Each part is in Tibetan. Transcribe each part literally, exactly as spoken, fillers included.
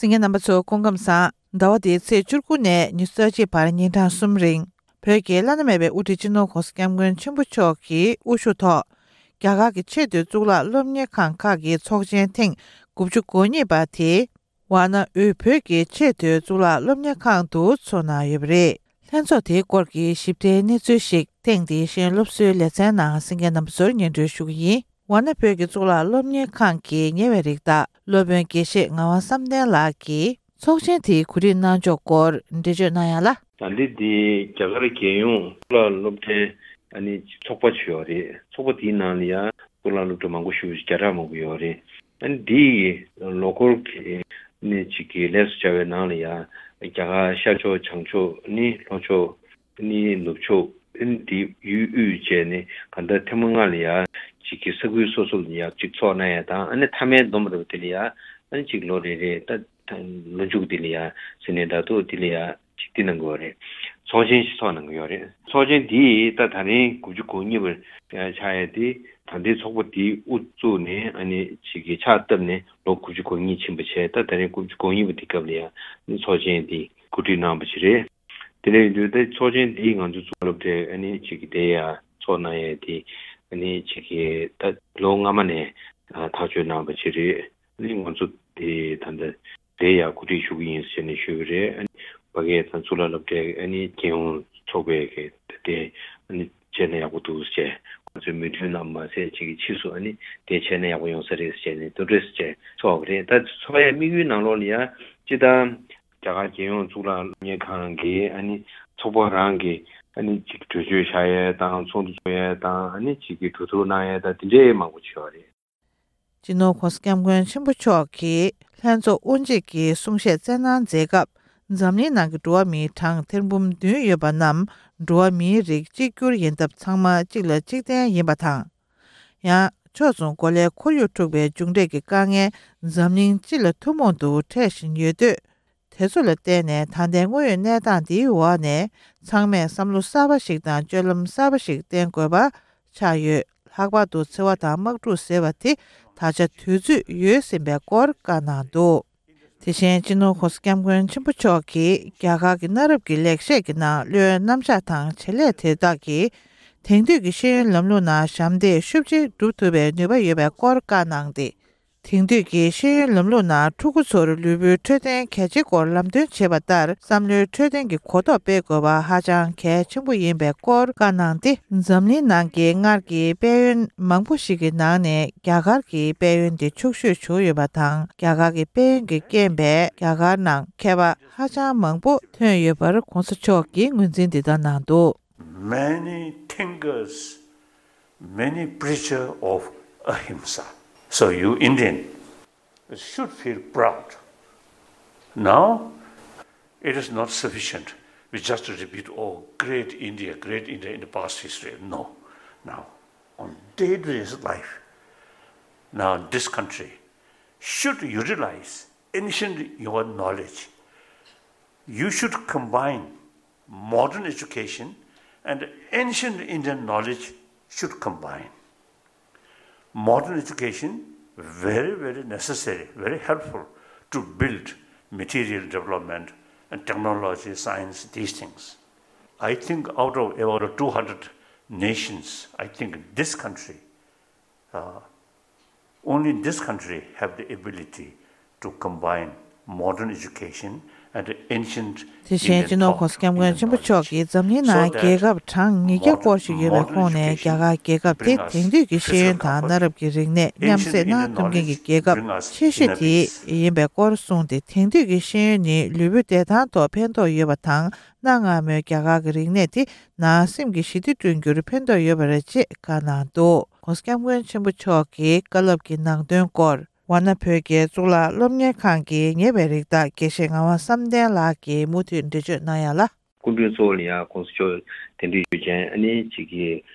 གསན་མཁན་རྣམ་པ་ཚོ་སྐུ་ཁམས་བཟང་། ཟླ་བ་འདིའི་ཚེས་བཅུ་དགུ་ནས་ཉི་ཤུ་རྩ་གཅིག་བར་ཉིན་གྲངས་གསུམ་རིང་བོད་ཀྱི་བླ་ན་མེད་པའི་དབུ་ཁྲིད་སྤྱི་ནོར་༸གོང་ས་༸སྐྱབས་མགོན་ཆེན་པོ་མཆོག་གི་དབུ་བཞུགས་ཐོག་རྒྱ་གར་གྱི་ཆེས་མཐོའི་གཙུག་ལག་སློབ་གཉེར་ཁང་ཁག་གི་ཚོགས་ཆེན་ཐེངས་དགུ་བཅུ་གོ་གཉིས་པ་དེ་ཝཱ་ཎ་དབུས་བོད་ཀྱི་ཆེས་མཐོའི་གཙུག་ལག་སློབ་གཉེར་ཁང་དུ་ཚོགས་གནང་ཡོད་པ་རེད། ལྷན་ཚོགས་དེའི་སྐོར་གྱི་ཞིབ་ཕྲའི་གནས་ཚུལ་ཞིག་ཐེངས་འདིའི་ཤེས་ཡོན་སློབ་གསོའི་ལེ་ཚན་ནང་གསན་མཁན་རྣམ་པ་ཚོར་སྙན་སྒྲོན་ཞུ་གི་ཡིན། ཝཱ་ཎ་བོད་ཀྱི་གཙུག་ལག་སློབ་གཉེར་ཁང་གི་ཉེ་བའི་རིགས་བདག་སློབ་དཔོན་དགེ་བཤེས་ངག་དབང་བསམ་གཏན་ལགས་ཀྱིས་ཚོགས་ཆེན་དེའི་གོ་སྒྲིག་གནང་ཕྱོགས་སྐོར་འགྲེལ་བརྗོད་གནང་ཡ་ལ། ད་འདི་འདི་རྒྱ་གར་རྒྱལ་ཡོངས་གཙུག་ལག་སློབ་གྲྭའི་ཨ་ནི་ཚོགས་པ་ཅིག་ཡོད་རེད། ཚོགས་པ་དེའི་ནང་ལ་ཡང་གཙུག་ལག་སློབ་གྲྭ་མང་པོ་ཞེ་པོ་ཅིག་བརྒྱ་ཕྲག་མང་པོ་ཡོད་རེད། ཨ་ནི་འདི་ཡི་ལོ་འཁོར་གྱི་ནི་གཅིག་གི་ལས་སུ་བྱ་བའི་ནང་ལ་ཡང་རྒྱ་གར་ཤར་ཕྱོགས་བྱང་ཕྱོགས་ནི་ལྷོ་ཕྱོགས་ནི་ནུབ་ཕྱོགས་ཨ་ནི་འདི་ཡུལ་དབུས་བཅས་ནི་གང་ལྟར་ཐེངས་མ་ལྔ་ལ་ཡང་གཅིག་གི་ས་ཁུལ་སོ་སོ་ལ་ཡང་གཅིག་ཚོགས་གནང་ཡ་དང་། ཨ་ནི་མཐའ་མའི་བསྡོམས་པ་རེད་པ། དེ་ལ་ཡང་ཨ་ནི་གཅིག་ལོ་རེ་རེ་ད་ད་ལོ་མཇུག་དེ་ལ་ཡང་ཟེར་ནས་ད་དུ་དེ་ལ་ཡང་ཅིག་འདི་གནང་གི་ཡོད་རེད། ཚོགས་ཆེན་ཞིག་ཚོགས་གནང་གི་ཡོད་རེད། ཚོགས་ཆེན་འདི་ད་ད་རིང་དགུ་བཅུ་གོ་གཉིས་པ་ཆགས་ཡས་དེ་ད་ལྟའི་ཚོགས་པ་འདི་དབུ་བཙུགས་ནས་ཨ་ནི་ཅིག་གི་ཕྱག་བཏབ་ནས་ལོ་དགུ་བཅུ་གོ་གཉིས་ཕྱིན་པ་བྱས། ད་ད་རིང་དགུ་བཅུ་གོ་གཉིས་པ་འདི་སྐབས་ལ་ཡང་ཚོགས་ཆེན་འདི་གོ་སྒྲིག་གནང་བ་ཞིག་རེད། དེ་ནས་ཡིན་དུས་ད་ཚོགས་ཆེན་འདི་ང་ཚོ་གཙུག་ལག་སློབ་གྲྭའི་ཨ་ནི་ཅིག་གི་དེ་ཡང་ཚོགས་གནང་ཡས་དེ་ཨ་ནི་ཅིག་གི་ད་ལོ་སྔ་མ་ནས་ཐག་གཅོད་གནང་བ་ཞིག་རེད། ནི་ང་ཚོ་དེ་ད་ལྟ་དེ་ཡང་གོ་སྒྲིག་ཞུ་གི་ཡིན་ཟེར་ནས་ཞུས་པ་རེད། ཨ་ནི་ཕ་གིའི་ད་གཙུག་ལག་སློབ་གྲྭའི་ཨ་ནི་རྒྱལ་ཡོངས་ཚོགས་པའི་གི་དེ་ཨ་ནི་བྱས་ན་ཡག་པོ་འདུག་ཟེར། ང་ཚོའི་མོས་མཐུན་ལ་མ་ཟད་ཅིག་གི་ཕྱིས་སུ་ཨ་ནི་དེ་བྱས་ན་ཡག་པོ་ཡོང་ས་རེད་ཟེར་ནས་འདུ་འབྲེལ་ཟེར་ཚོགས་པ་རེད། ད་ཚོགས་ཡའི་དམིགས་ཡུལ་ནང་ལོགས་ལ་ཡང་སྤྱི་བཏང་རྒྱ་གར་རྒྱལ་ཡོངས་གཙུག་ལག་སློབ་གཉེར་ཁང་གི་ཨ་ནི་ཚོགས་པ་རང་གི་ཨ་ནི་ཅིག་གྲོས་ཆོད་བཞག་ཡས་དང་ཚོགས་འདུ་ཚོགས་ཡས་དང་ཨ་ནི་ཅིག་གི་གྲོས་བསྡུར་གནང་ཡས་དང་དེ་འདྲའི་མང་པོ་ཅིག་ཡོད་རེད། སྤྱི་ནོར་༸གོང་ས་༸སྐྱབས་མགོན་ཆེན་པོ་མཆོག་གིས་ལྷན་ཚོགས་དབུ་འབྱེད་ཀྱི་གསུང་བཤད་སྩལ་གནང་མཛད་སྐབས། འཛམ་གླིང་ནང་གི་འགྲོ་བ་མིའི་གྲངས་ཐེར་འབུམ་བདུན་ཡོད་པ་རྣམས་འགྲོ་བ་མིའི་རིགས་གཅིག་གྱུར་ཡིན་སྟབས་ཚང་མ་གཅིག་ལ་གཅིག་བརྟེན་ཡིན་པ་དང་། ཡང་ཕྱོགས་མཚུངས་གོ་ལའི་ཁོར་ཡུག་འཁྲུག་པའི་མཇུག་འབྲས་ཀྱི་དཀའ་ངལ་འཛམ་གླིང་སྤྱི་ལ་ཐུན་མོང་དུ་འཕྲད་བཞིན་ཡོད་དུས། དེ་ཚོ་ལ་བརྟེན་ནས་ད་ལྟའི་དངོས་ཡོད་གནས་སྟངས་འདིའི་འོག་ནས་ཚང་མས་བསམ་བློ་གསར་པ་ཞིག་དང་སྤྱོད་ལམ་གསར་པ་ཞིག་བསྟེན་དགོས་པ་ཆགས་ཡོད། ལྷག་པར་དུ་འཚེ་བ་དང་དམག་འཁྲུག་ཟེར་བ་དེ་ད་ཆ་དུས་ཚོད་ཡོལ་ཟིན་པའི་སྐོར་བཀའ་གནང་འདུག་དེ་བཞིན་སྤྱི་ནོར་༸གོང་ས་༸སྐྱབས་མགོན་ཆེན་པོ་མཆོག་གིས་རྒྱ་གར་གྱི་གནའ་རབས་ཀྱི་ལེགས་བཤད་ཀྱི་ནང་བློའི་རྣམ་གཞག་དང་བྱེད་ལས་དེ་དག་གིས་དེང་དུས་ཀྱི་ཤེས་ཡོན་ལམ་ལུགས་ནང་ཞབས་འདེགས་ཤུགས་ཆེ་སྒྲུབ་ཐུབ་པའི་ནུས་པ་ཡོད་པའི་སྐོར་བཀའ་གནང་སྟེ། དེང་དུས་ཀྱི་ཤེས་ཡོན་ལམ་ལུགས་ནང་ཕྲུ་གུ་ཚོར་ལུས་པོའི་འཕྲོད་བསྟེན་གལ་ཆེའི་སྐོར་ལམ་སྟོན་བྱེད་པ་ལྟར་བསམ་བློའི་འཕྲོད་བསྟེན་གྱི་གོ་རྟོགས་སྤེལ་དགོས་པ་ཧ་ཅང་གལ་ཆེན་པོ་ཡིན་པའི་སྐོར་བཀའ་གནང་སྟེ། འཛམ་གླིང་ནང་གི་སྔར་གྱི་དཔལ་ཡོན་མང་པོ་ཞིག་གི་ནང་ནས་རྒྱ་གར་གྱི་དཔལ་ཡོན་དེ་ཕྱུག་ཤོས་བྱུང་ཡོད་པ་དང་། རྒྱ་གར་གྱི་དཔལ་ཡོན་གྱི་རྐྱེན་པས་རྒྱ་གར་ནང་མཁས་པ་ཧ་ཅང་མང་པོ་ཐོན་ཡོད་པར་༸གོང་ས་མཆོག་གིས་ངོས་འཛིན་འདི་ལྟར་གནང་འདུག Many thinkers, many preachers of ahimsa. So you Indian should feel proud. Now, it is not sufficient we just repeat, "Oh, great India, great India" in the past history. No. Now, on day-to-day life, now this country should utilize ancient your knowledge. You should combine modern education and ancient Indian knowledge should combine. Modern education, very, very necessary, very helpful to build material development and technology, science, these things. I think out of about two hundred nations, I think this country, uh, only this country have the ability to combine modern education and ancient དེ་བཞིན་སྤྱི་ནོར་༸གོང་ས་༸སྐྱབས་མགོན་ཆེན་པོ་མཆོག་གིས་འཛམ་གླིང་ནང་རྒྱལ་ཁབ་གྲངས་ཉིས་བརྒྱ་སྐོར་ཞིག་ཡོད་པའི་ཁོངས་ནས་རྒྱ་གར་རྒྱལ་ཁབ་དེ་དེང་དུས་ཀྱི་ཤེས་ཡོན་དང་གནའ་རབས་ཀྱི་རིག་གནས་མཉམ་བསྲེས་གནང་ཐུབ་མཁན་གྱི་རྒྱལ་ཁབ་ཆེ་ཤོས་དེ་ཡིན་པའི་སྐོར་གསུངས་ཏེ། དེང་དུས་ཀྱི་ཤེས་ཡོན་ནི་ལུས་པོའི་བདེ་ཐང་ཐོག་ཕན་ཐོགས་ཡོད་པ་དང་། གནའ་སྔ་མོའི་རྒྱ་གར་གྱི་རིག་གནས་དེ་ནང་སེམས་ཀྱི་ཞི་བདེ་བསྐྲུན་རྒྱུར་ཕན་ཐོགས་ཡོད་པ་རེད་ཅེས་བཀའ་གནང་འདུག ༸གོང་ས་༸སྐྱབས་མགོན་ཆེན་པོ་མཆོག་གི་བཀའ་སློབ་ཀྱི་ནང་དོན་སྐོར། ཝཱ་ཎ་བོད་ཀྱི་གཙུག་ལག་སློབ་གཉེར་ཁང་གི་ཉེ་བའི་རིགས་བདག་དགེ་བཤེས་ངག་དབང་བསམ་གཏན་ལགས་ཀྱིས་མུ་མཐུད་འགྲེལ་བརྗོད་གནང་ཡ་ལ། སྐུ་མགྲོན་གཙོ་བོ་ལ་ཡང་༸གོང་ས་མཆོག་གདན་འདྲེན་ཞུ་མཁན་ཨ་ནི་གཅིག་གི་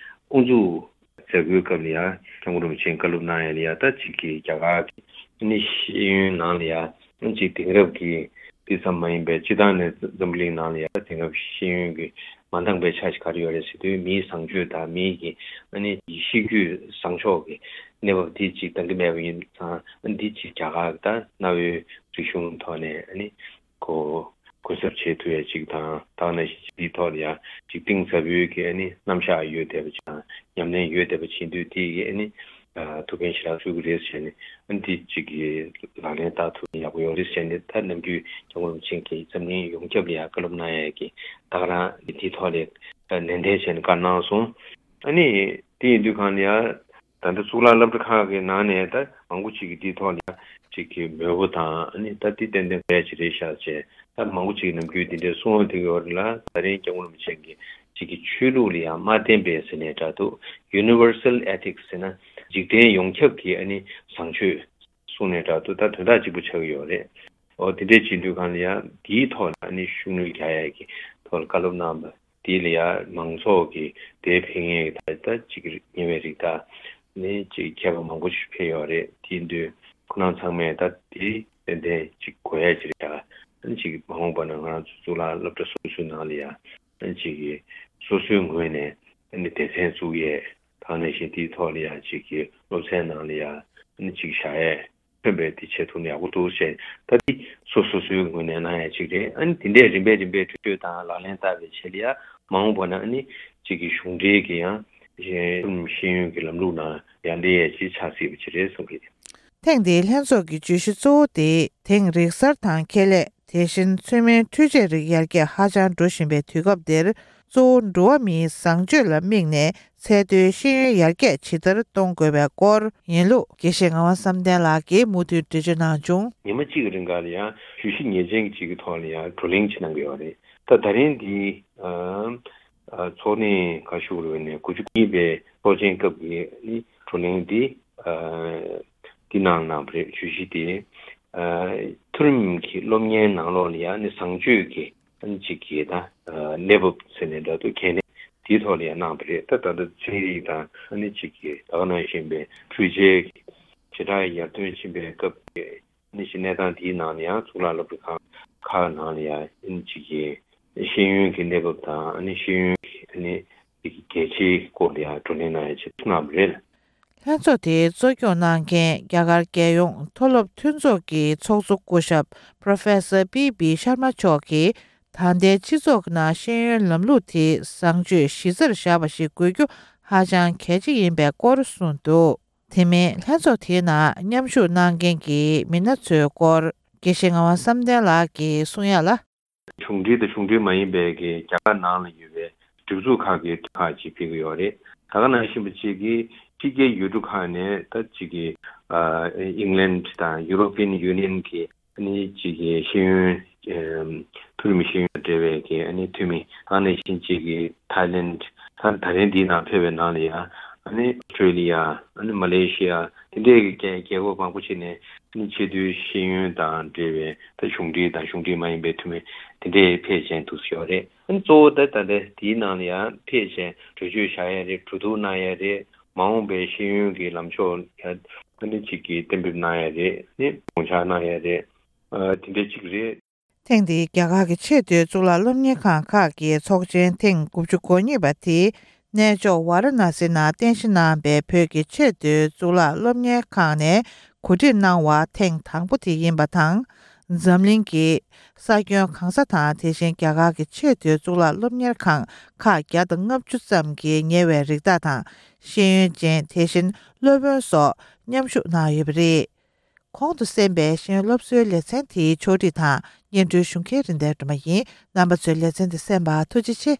དབུ་འཛུགས་མཛད་སྒོའི་སྐབས་ལ་ཡང་༸སྐྱབས་མགོན་རིན་པོ་ཆེས་བཀའ་སློབ་གནང་ཡ་ལ་ཡང་ད་གཅིག་གི་རྒྱ་གར་གྱི་ཨ་ནི་ཤེས་ཡོན་ནང་ལ་ཡང་གཅིག་དེང་རབས་ཀྱི་དེ་ཙམ་མ་ཡིན་པའི་སྤྱི་བཏང་ནས་འཛམ་བུ་གླིང་ནང་ལ་ཡང་དེང་རབས་ཤེས་ཡོན་གྱི་མ་འདང་པའི་ཆ་ཞིག་ག་རེ་ཡོད་རེད་ཟེར་དུས། མིའི་བཟང་སྤྱོད་དང་མིའི་གི་ཨ་ནི་གཤིས་རྒྱུད་བཟང་ཕྱོགས་ཀྱི་གནས་བབ་འདི་གཅིག་འདང་གི་མེད་པ་ཡིན་ཙང་། ཨ་ནི་འདི་གཅིག་རྒྱ་གར་གྱི་ད་གནའ་བོའི་ རིག་གཞུང་ཐོག་ནས་ཨ་ནི་གོ་གོ་གསབ་བྱེད་ཐུབ་ཡ་ཅིག་དང་། ད་ག་ནང་བཞིན་འདིའི་ཐོག་ལ་ཡ་ཅིག་གཏིང་ཟབ་པོའི་གི་ཨ་ནི་རྣམ་གཞག་ཡོད་བསྡད་པ་ཅིག་དང་། ཉམས་ལེན་ཡོད་བསྡད་པ་བྱེད་དུས་དེ་གི་ཨ་ནི་ཐུགས་ཕན་ཞེ་དྲག་གསོས་ཀྱི་རེད་ཟེར་ནས། ཨ་ནི་དེ་ཅིག་གི་ལག་ལེན་བསྟར་ཐུབ་ན་ཡག་པོ་ཡོང་རེད་ཟེར་ནས། ད་ནམ་རྒྱུན་སྐྱབས་མགོན་རིན་པོ་ཆེ་གིས་འཛམ་གླིང་ཡོངས་ཁྱབ་ལ་ཡ་བཀའ་སློབ་གནང་ཡ་གི་ད་ག་རང་དེའི་ཐོག་ལ་ནན་ཏན་བྱས་ནས་བཀའ་གནང་སོང་། ཨ་ནི་དེ་ཡིན་དུས་གང་ལ་ཡ། ད་ལྟ་གཙུག་ལག་སློབ་གྲྭ་ཁག་གི་ནང་ནས་ད་མང་པོ་ཅིག་གིས་འདིའི་ཐོག་ལ་ཡ་ཅིག་གི་མོས་པོ་དང་། ཨ་ནི་ད་འདི་ཏན་ཏན་བས་ཅིག་རེད་ཤག་ཅེས། ད་མང་པོ་ཅིག་ནམ་རྒྱུན་འདི་འདྲའི་གསུང་བ་འདི་ཡོད་རེད་ལ། ད་རིང་སྐྱབས་མགོན་རིན་པོ་ཆེ་གིས་ཅིག་གི་ཆོས་ལུགས་ལ་ཡང་མ་བརྟེན་པའི་ཟེར་ནས་འདྲ་འདུག Universal Ethics ཟེར་ན་འཇིག་རྟེན་ཡོངས་ཁྱབ་ཀྱི་ཨ་ནི་བཟང་སྤྱོད་གསུངས་ནས་འདྲ་འདུག་ད་དོན་དག་གཅིག་པུ་ཆགས་ཀྱི་ཡོད་རེད། འོ་དེ་འདྲའི་བྱེད་དུས་གང་ལ་ཡང་འདིའི་ཐོག་ལ་ཨ་ནི་ཤུགས་སྣོན་རྒྱག་ཡ་གི་ཐོག་ལ་བཀའ་སློབ་གནང་བ། དེ་ལ་ཡང་མང་ཚོགས་ཀྱི་དེ་ཕན་ཡོན་གྱི་ད་ལྟ་ཅིག་ཉེ་བའི་རིགས་དང་ནི་ཅིག་མཁས་པ་མང་པོ་ཞིག་ཕེབས་ཡོད་རེད། དེ་ཡིན་དུས་ཁོ་རང་ཚང་མས་ད་དེ་ཏན་ཏན་ཅིག་གོ་ཡ་ཅིག་རེད་ད། ཨ་ནི་ཅིག་མ་འོངས་པ་ན་ང་རང་ཚོ་གཙུག་ལག་སློབ་གྲྭ་སོ་སོའི་ནང་ལ་ཡང་ཨ་ནི་ཅིག་གི་སོ་སོའི་ངོས་ནས་ཨ་ནི་སྡེ་ཚན་བཙུགས་ཡས་དང་། ནང་བཞིན་དེའི་ཐོག་ལ་ཡང་ཅིག་གི་སློབ་ཚན་ནང་ལ་ཡང་ཨ་ནི་ཅིག་བཞག་ཡས། ཐོན་པའི་དེ་བྱེད་ཐུབ་ན་ཡག་པོ་འདུག་ཟེར། ད་འདི་སོ་སོ་སོའི་ངོས་ནས་གནང་ཡ་གཅིག་རེད། ཨ་ནི་དེ་འདྲས་རིམ་པས་རིམ་པས་གྲོས་ཆོད་དང་ལག་ལེན་བསྟར་བའི་ཆེད་ལ་ཡ་མ་འོངས་པ་ན་ཨ་ནི་གཅིག་གི་གཞུང་འབྲེལ་གྱི་ཡང་ཤེས་ཤེས་ཡོན་གྱི་ལམ་ལུགས་ནང་ཡར་འདེད་ཡ་ཅིག་ཆགས་སྲིད་པ་ཅིག་རེད་གསུང་གི། ཐེངས་འདིའི་ལྷན་ཚོགས་ཀྱི་བརྗོད་གཞི་གཙོ་བོ་དེ་དེང་རིག་གསར་དང་ཁེ་ལས། དེ་བཞིན་ཚོད་མའི་འཕྲུལ་ཆས་རིགས་ཡར་རྒྱས་ཧ་ཅང་འགྲོ་བཞིན་པའི་དུས་སྐབས་འདིར། གཙོ་བོ་འགྲོ་བ་མིའི་བཟང་སྤྱོད་ལ་དམིགས་ནས་ཚད་མཐོའི་ཤེས་ཡོན་ཡར་རྒྱས་ཇི་ལྟར་གཏོང་དགོས་པའི་སྐོར་ཡིན་ལུགས། དགེ་བཤེས་ངག་དབང་བསམ་གཏན་ལགས་ཀྱིས་མུ་མཐུད་འགྲེལ་བརྗོད་གནང་བྱུང་། ཉི་མ་གཅིག་གི་རིང་ག་ལ་ཡང་བརྗོད་གཞི་ངེས་ཅན་གཅིག་གི་ཐོག་ལ་ཡང་བགྲོ་གླེང་ཅིག་གནང་གི་ཡོད་རེད། ད་ད་རིང་འདི་ཚོགས་གནས་ག་ཞུ་རུ་ནས་དགུ་བཅུ་གཉིས་པའི་ཚོགས་ཆེན་སྐབས་ཀྱི་ནི་བགྲོ་གླེང་འདི་འདི་ནང་གནང་བ་རེད། བརྗོད་གཞི་དེ་མཐོ་རིམ་གྱི་སློབ་གཉེར་ནང་ལོགས་ལ་ཡང་ནི་བཟང་སྤྱོད་ཀྱི་ཨ་ནི་གཅིག་གི་ད་ཨ་གནས་བབ་ཟེར་ནས་འདྲ་འདུག་གལ་གནད་དེའི་ཐོག་ལ་ཡང་གནང་བ་རེད། ད་ད་ལྟ་ཚན་རིག་དང་ཨ་ནི་གཅིག་གི་ད་ག་ནང་བཞིན་པའི་འཕྲུལ་ཆས་ཀྱི་ཇེ་དྲག་ཡར་ཐོན་ཕྱིན་པའི་སྐབས་ཀྱི་ཨ་ནི་གནས་སྟངས་དེའི་ནང་ལ་ཡང་གཙུག་ལག་སློབ་གྲྭ་ཁག་ཁག་ནང་ལ་ཡང་ཨ་ནི་གཅིག་གི་ཤེས་ཡོན་གྱི་གནས་བབ་དང་ཨ་ནི་ཤེས་ཡོན་གྱི་ཨ་ནི་གལ་ཆེའི་སྐོར་ལ་ཡང་བགྲོ་གླེང་གནང་ཡ་ཆེད་དུ་གནང་བ་རེད། ལྷན་ཚོགས་དེའི་གཙོ་སྐྱོང་གནང་མཁན་རྒྱ་གར་རྒྱལ་ཡོངས་མཐོ་སློབ་མཐུན་ཚོགས་ཀྱི་ཚོགས་གཙོ་སྐུ་ཞབས་Professor P B Sharma མཆོག་གིས། ད་ལྟའི་སྤྱི་ཚོགས་ནང་ཤེས་ཡོན་ལམ་ལུགས་དེ་བཟང་སྤྱོད་གཞི་རྩར་བཞག་པ་ཞིག་དགོས་རྒྱུ་ཧ་ཅང་གལ་ཆེ་ཡིན་པའི་སྐོར་གསུངས་འདུག་དེ་མིན་ལྷན་ཚོགས་དེའི་ནང་མཉམ་ཞུགས་གནང་མཁན་གྱི་མི་སྣ་ཚོའི་སྐོར་དགེ་བཤེས་ངག་དབང་བསམ་གཏན་ལགས་ཀྱིས་གསུང་ཡ་ལ། གཞུང་འབྲེལ་དང་གཞུང་འབྲེལ་མ་ཡིན་པའི་གི་རྒྱ་གར་ནང་ལ་ཡོད་པའི་སྒྲིག་འཛུགས་ཁག་གི་ཁག་ཅིག་ཕེབས་ཀྱི་ཡོད་རེད། ད་ག་ནང་བཞིན་པ་ཅིག་གིས་ཕྱི་རྒྱལ་ཡུལ་གྲུ་ཁག་ནས་ད་ཅིག་གི་ཨིང་ལན་དང་ཡུ་རོ་པི་ཡན་ཡུ་ནི་ཡན་གྱི་ཨ་ནི་ཅིག་གི་ཤེས་ཡོན་མཐོ་རིམ་ཤེས་ཡོན་འབྲེལ་བའི་གི་ཨ་ནི་འཐུས་མི། ད་ག་ནང་བཞིན་ཅིག་གི་ཐའི་ལེན། ད་ད་རིང་འདིའི་ནང་ཕེབས་པའི་ནང་ལ་ཡང་ཨ་ནི་ཨོ་སི་ཊྲེ་ལི་ཡ། ཨ་ནི་མ་ལེ་ཤི་ཡ། དེ་འདྲའི་གི་རྒྱལ་རྒྱལ་ཁབ་མང་པོ་ཅིག་ནས་ཨ་ནི་ཆེས་མཐོའི་ཤེས་ཡོན་དང་འབྲེལ་བའི་ད་གཞུང་འབྲེལ་དང་གཞུང་འབྲེལ་མ་ཡིན་པའི་འཐུས་མི་དེ་འདྲའི་ཕེབས་བཞིན་འདུག་ཡོད་རེད། ཨ་ནི་གཙོ་བོ་ད་ད་ལྟ་དེའི་ནང་ལ་ཡང་ཕེབས་བཞིན་གྲོས་ཆོད་བཞག་ཡ་རེད། གྲོས་བསྡུར་གནང་ཡ་རེད། མ་འོངས་པའི་ཤེས་ཡོན་གྱི་ལམ་ཕྱོགས་ཡ་ཨ་ནི་གཅིག་གི་གཏན་འབེབས་གནང་ཡ་རེད། ནི་དགོངས་འཆར་གནང་ཡ་རེད། ཨ་དེ་འདྲ་གཅིག་རེད། ཐེངས་འདིའི་རྒྱ་གར་གྱི་ཆེས་མཐོའི་གཙུག་ལག་སློབ་གཉེར་ཁང་ཁག་གི་ཚོགས་ཆེན་ཐེངས་དགུ་བཅུ་གོ་གཉིས་པ་དེ། གནས་མཆོག་ཝཱ་ར་ཎ་སི་ནང་རྟེན་གཞི་གནང་བའི་བོད་ཀྱི་ཆེས་མཐོའི་གཙུག་ལག་སློབ་གཉེར་ཁང་ནས་གོ་སྒྲིག་གནང་བ་ཐེངས་དང་པོ་དེ་ཡིན་པ་དང་། འཛམ་གླིང་གི་ས་ཁྱོན་གང་ས་དང་། དེ་བཞིན་རྒྱ་གར་གྱི་ཆེས་མཐོའི་གཙུག་ལག་སློབ་གཉེར་ཁང་ཁག་བརྒྱ་དང་ལྔ་བཅུ་ཙམ་གྱི་ཉེ་བའི་རིགས་བདག་དང་། ཤེས་ཡོན་ཅན། དེ་བཞིན་སློབ་དཔོན་སོགས་མཉམ་ཞུགས་གནང་ཡོད་པ་རེད། གོང་དུ་གསན་པའི་ཤེས་ཡོན་སློབ་གསོའི་ལེ་ཚན་དེའི་ཕྱོགས་སྒྲིག་དང་སྙན་སྒྲོན་ཞུ་མཁན་རིན་ལྡན་སྒྲོལ་མ་ཡིན། རྣམ་པ་ཚོས་ལེ་ཚན་འདི་གསན་པར་ཐུགས་རྗེ་ཆེ།